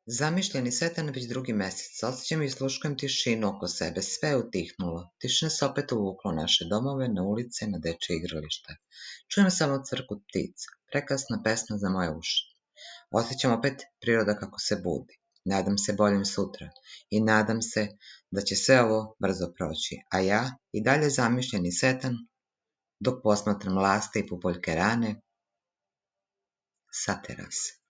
Zamišljeni setan već drugi mjesec. Osjećam i sluškujem tišinu oko sebe. Sve je utihnulo. Tišina se opet uvukla u naše domove, na ulice, na dečje igrališta. Čujem samo cvrkut ptica. Prekrasna pesma za moje uši. Osjećam opet priroda kako se budi. Nadam se boljem sutra. I nadam se da će sve ovo brzo proći. A ja i dalje zamišljeni setan dok posmatram laste i pupoljke rane sa terase.